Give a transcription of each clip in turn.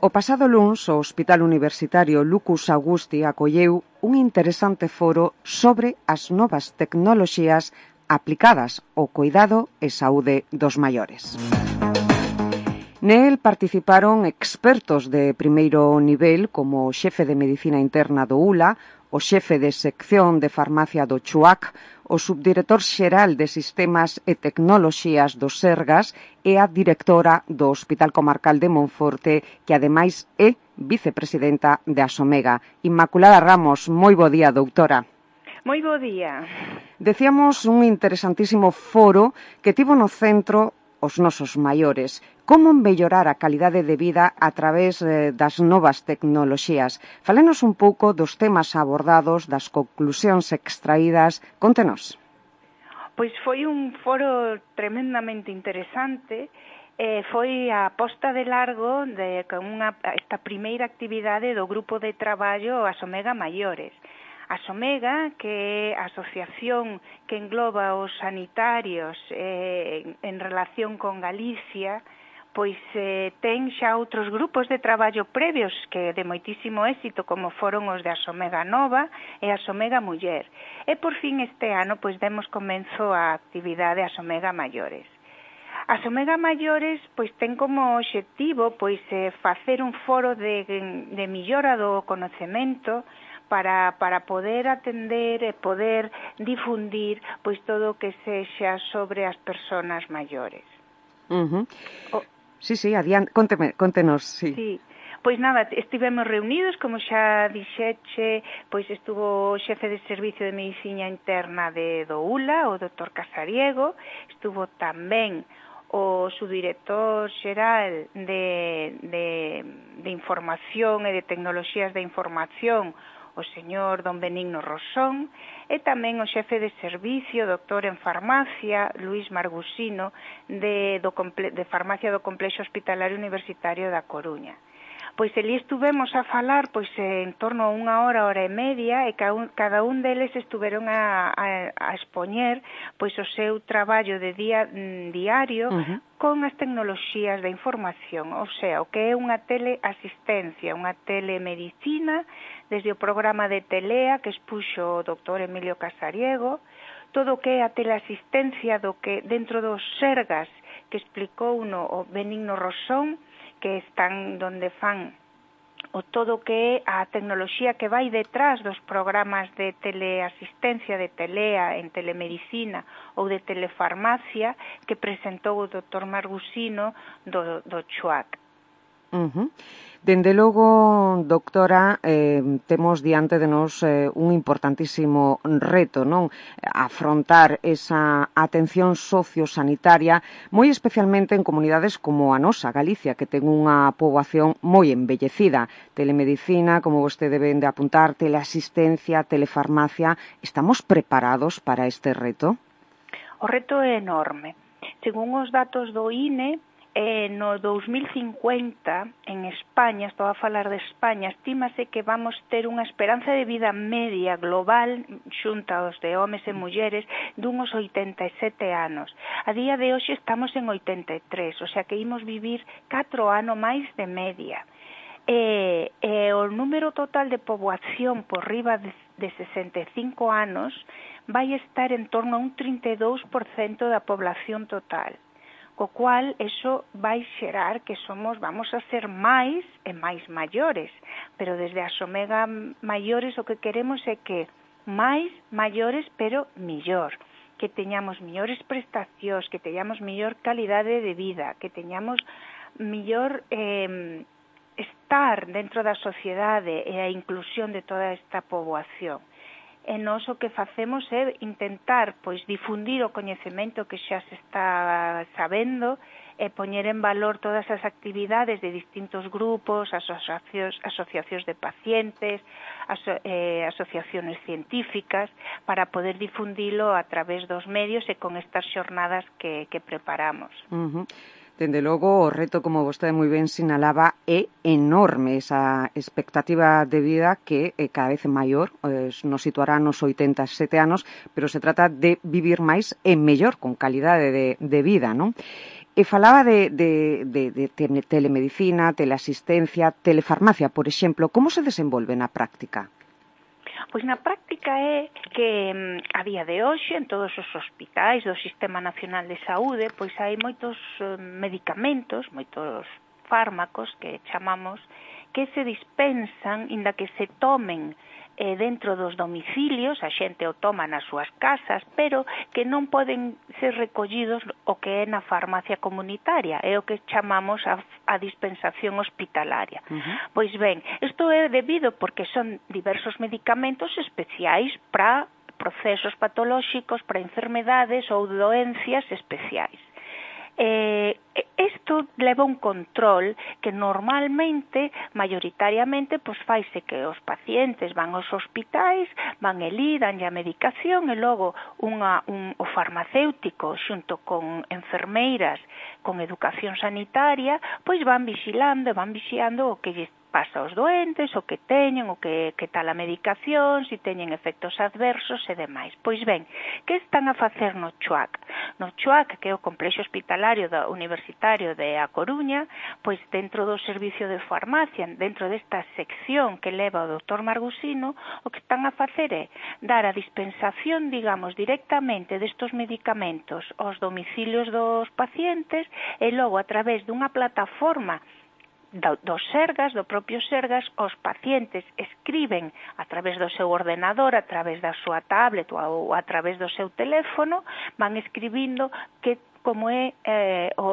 O pasado luns, o Hospital Universitario Lucus Augusti acolleu un interesante foro sobre as novas tecnoloxías aplicadas ao cuidado e saúde dos maiores. Nel participaron expertos de primeiro nivel como o xefe de Medicina Interna do ULA, o xefe de sección de farmacia do CHUAC, o subdirector xeral de Sistemas e Tecnoloxías do Sergas e a directora do Hospital Comarcal de Monforte, que ademais é vicepresidenta de Asomega. Inmaculada Ramos, moi bo día, doutora. Moi bo día. Decíamos un interesantísimo foro que tivo no centro os nosos maiores. Como mellorar a calidade de vida a través das novas tecnoloxías? Falenos un pouco dos temas abordados, das conclusións extraídas. Contenos. Pois foi un foro tremendamente interesante. Foi a posta de largo con esta primeira actividade do grupo de traballo Asomega Maiores. Asomega, que é a asociación que engloba os sanitarios en relación con Galicia, pois ten xa outros grupos de traballo previos que de moitísimo éxito, como foron os de Asomega Nova e Asomega Muller. E por fin este ano pois demos comenzo á actividade Asomega Maiores. Asomega Maiores pois ten como obxectivo pois facer un foro de millora do conocemento para poder atender e poder difundir pois todo o que sexa sobre as persoas maiores. Sí, adiante, contenos, sí. Sí. Pois nada, estivemos reunidos, como xa dixeche, pois estuvo o xefe de Servicio de Medicina Interna do ULA, o Dr. Casariego, estuvo tamén o subdirector xeral de Información e de Tecnoloxías de Información, o señor don Benigno Rosón, e tamén o xefe de servicio, doctor en farmacia, Luís Margusino, de farmacia do Complexo Hospitalario Universitario da Coruña. Pois ali estuvemos a falar pois en torno a unha hora e media, e cada un deles estuveron a expoñer pois o seu traballo de diario con as tecnoloxías da información, ou sea, o que é unha teleasistencia, unha telemedicina, desde o programa de Telea que expuxo o doctor Emilio Casariego, todo o que é a teleasistencia do que dentro dos Sergas que explicou o Benigno Rosón, que están donde fan o todo que é a tecnoloxía que vai detrás dos programas de teleasistencia de Telea en telemedicina ou de telefarmacia que presentou o Dr. Margusino do CHUAC. Dende logo, doctora, temos diante de nós un importantísimo reto, non? Afrontar esa atención sociosanitaria, moi especialmente en comunidades como a nosa, Galicia, que ten unha poboación moi envellecida. Telemedicina, como vostede ven de apuntar, teleasistencia, telefarmacia. Estamos preparados para este reto? O reto é enorme. Según os datos do INE, no 2050, en España, estou a falar de España, estímase que vamos ter unha esperanza de vida media global, xunta aos de homes e mulleres, dunhos 87 anos. A día de hoxe estamos en 83, o sea que imos vivir 4 anos máis de media. O número total de poboación por riba de 65 anos vai estar en torno a un 32% da población total. Co cual, eso vai xerar que vamos a ser máis e máis maiores, pero desde as Omega Maiores o que queremos é que máis maiores, pero millor, que teñamos millores prestacións, que teñamos millor calidade de vida, que teñamos millor estar dentro da sociedade e a inclusión de toda esta poboación. E nós o que facemos é intentar difundir o coñecemento que xa se está sabendo e poñer en valor todas as actividades de distintos grupos, asociacións de pacientes, asociacións científicas, para poder difundilo a través dos medios e con estas xornadas que preparamos. Dende logo, o reto, como vostede moi ben sinalaba, é enorme. Esa expectativa de vida que cada vez é maior, nos situará nos 87 anos, pero se trata de vivir máis e mellor, con calidade de vida, non? E falaba de telemedicina, teleasistencia, telefarmacia, por exemplo. Como se desenvolve na práctica? Pois na práctica é que a día de hoxe en todos os hospitais do Sistema Nacional de Saúde pois hai moitos medicamentos, moitos fármacos que chamamos que se dispensan inda que se tomen dentro dos domicilios, a xente o toma nas súas casas, pero que non poden ser recollidos o que é na farmacia comunitaria, é o que chamamos a dispensación hospitalaria. Pois ben, isto é debido porque son diversos medicamentos especiais para procesos patolóxicos, para enfermedades ou doencias especiais. Isto leva un control que normalmente, maioritariamente, pois faise que os pacientes van aos hospitais, van elí, danlle a medicación e logo o farmacéutico xunto con enfermeiras con educación sanitaria, pois van vixiando o que lles pasa aos doentes, o que teñen, o que tal a medicación, se teñen efectos adversos e demais. Pois ben, que están a facer no CHUAC? No CHUAC, que é o Complexo Hospitalario Universitario de A Coruña, pois dentro do servicio de farmacia, dentro desta sección que leva o Dr. Margusino, o que están a facer é dar a dispensación, digamos, directamente destos medicamentos aos domicilios dos pacientes e logo a través dunha plataforma do Sergas, do propio Sergas, os pacientes escriben a través do seu ordenador, a través da súa tablet ou a través do seu teléfono, van escribindo como é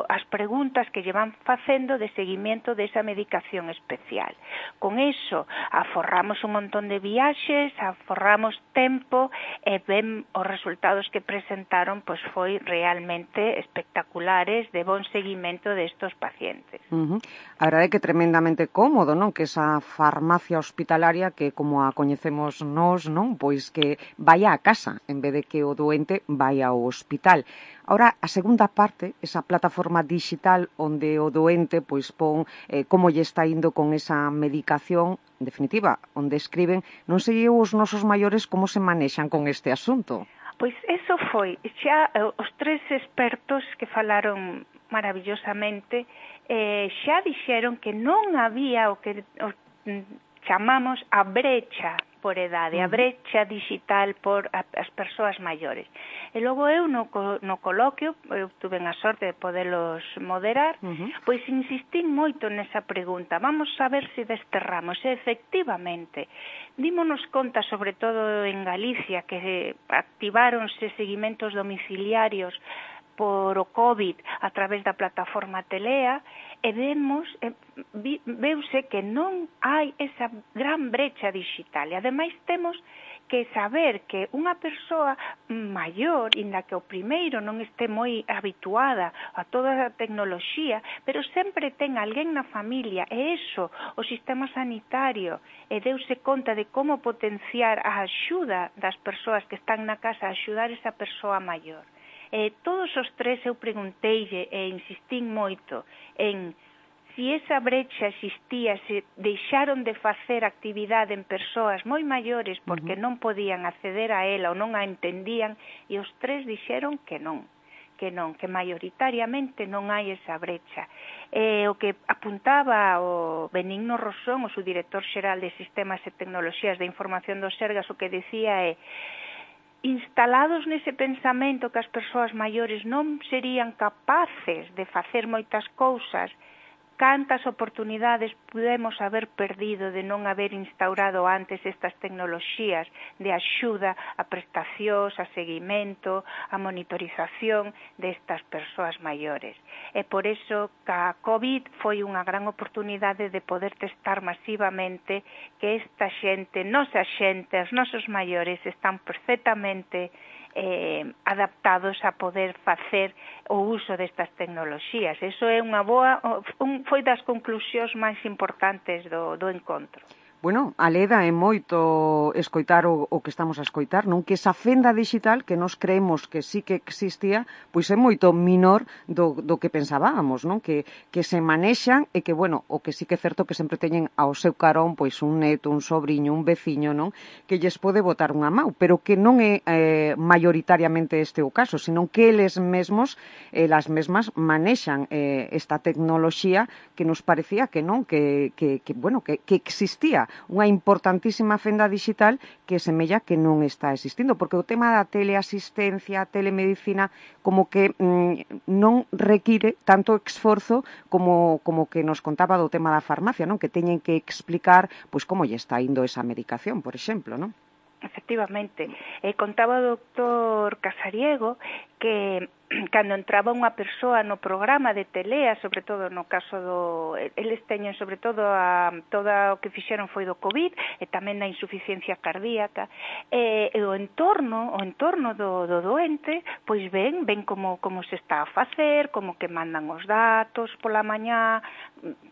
as preguntas que lle van facendo de seguimento desa medicación especial. Con iso, aforramos un montón de viaxes, aforramos tempo e ben os resultados que presentaron pois foi realmente espectaculares de bon seguimento destos pacientes. A verdade é que é tremendamente cómodo, non? Que esa farmacia hospitalaria que, como a coñecemos nós, non? Pois que vaya a casa, en vez de que o doente vaya ao hospital. Ahora, a segunda parte, esa plataforma digital onde o doente pois pon como lle está indo con esa medicación, en definitiva, onde escriben, non sei os nosos maiores como se manexan con este asunto. Pois eso foi, xa os tres expertos que falaron maravillosamente xa dixeron que non había o que chamamos a brecha por edade, a brecha digital por as persoas maiores. E logo eu no coloquio, eu tuve a sorte de podelos moderar, pois insistín moito nesa pregunta. Vamos a ver se desterramos. E efectivamente, dímonos conta, sobre todo en Galicia, que activáronse seguimentos domiciliarios por o COVID a través da plataforma Telea, e veuse que non hai esa gran brecha digital. E ademais temos que saber que unha persoa maior, inda que o primeiro non este moi habituada a toda a tecnoloxía, pero sempre ten alguén na familia, e iso, o sistema sanitario, e deuse conta de como potenciar a axuda das persoas que están na casa, a axudar esa persoa maior. Todos os tres eu pregunteille e insistín moito en si esa brecha existía, se deixaron de facer actividade en persoas moi maiores porque non podían acceder a ela ou non a entendían, e os tres dixeron que non, que maioritariamente non hai esa brecha. O que apuntaba o Benigno Rosón, o subdirector xeral de Sistemas e Tecnoloxías de Información do Sergas, o que decía é: instalados nese pensamento que as persoas maiores non serían capaces de facer moitas cousas, cantas oportunidades pudemos haber perdido de non haber instaurado antes estas tecnoloxías de axuda a prestacións, a seguimento, a monitorización destas persoas maiores. E por iso que a COVID foi unha gran oportunidade de poder testar masivamente que esta xente, nosa xente, os nosos maiores están perfectamente adaptados a poder facer o uso destas tecnoloxías. Eso é unha boa, foi das conclusións máis importantes do encontro. Bueno, aleda é moito escoitar o que estamos a escoitar, non? Que esa fenda digital que nos creemos que sí que existía, pois é moito minor do que pensábamos, non? Que se manexan e que, bueno, o que sí que é certo que sempre teñen ao seu carón pois un neto, un sobriño, un veciño, non? Que lles pode botar unha mau, pero que non é maioritariamente este o caso, senón que eles mesmos, elas mesmas manexan esta tecnoloxía que nos parecía que non, que existía unha importantísima fenda digital que semella que non está existindo, porque o tema da teleasistencia, telemedicina, como que non require tanto esforzo como que nos contaba do tema da farmacia, non? Que teñen que explicar pois como lle está indo esa medicación, por exemplo, non? Efectivamente. Contaba o doctor Casariego que cando entraba unha persoa no programa de Telea, sobre todo no caso eles teñen sobre todo toda o que fixeron foi do COVID e tamén da insuficiencia cardíaca, e o entorno do doente, pois ven como se está a facer, como que mandan os datos pola mañá,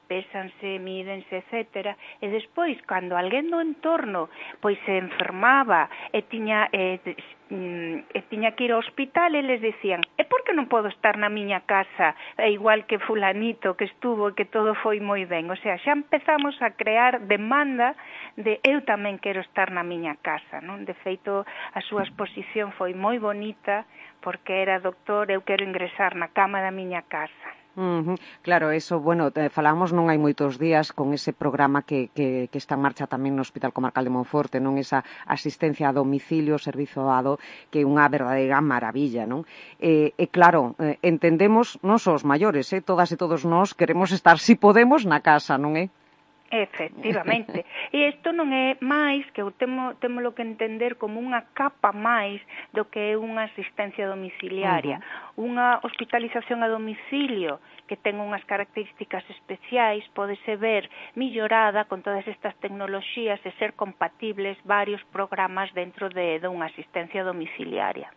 pésanse, mídense, etcétera, e despois, cando alguén do entorno pois se enfermaba e tiña que ir ao hospital, eles dicían, e por que non podo estar na miña casa, igual que fulanito que estuvo e que todo foi moi ben? O sea, xa empezamos a crear demanda de eu tamén quero estar na miña casa, non? De feito, a súa exposición foi moi bonita, porque era, doctor, eu quero ingresar na cama da miña casa. Claro, eso, bueno, falamos non hai moitos días con ese programa que está en marcha tamén no Hospital Comarcal de Monforte, non? Esa asistencia a domicilio, servizo dado, que é unha verdadeira maravilla, non? E claro, entendemos, non só os maiores, todas e todos nós queremos estar, si podemos, na casa, non é? Efectivamente. E isto non é máis que témolo que entender como unha capa máis do que é unha asistencia domiciliaria. Unha hospitalización a domicilio que ten unhas características especiais pódese ver millorada con todas estas tecnoloxías e ser compatibles varios programas dentro de unha asistencia domiciliaria.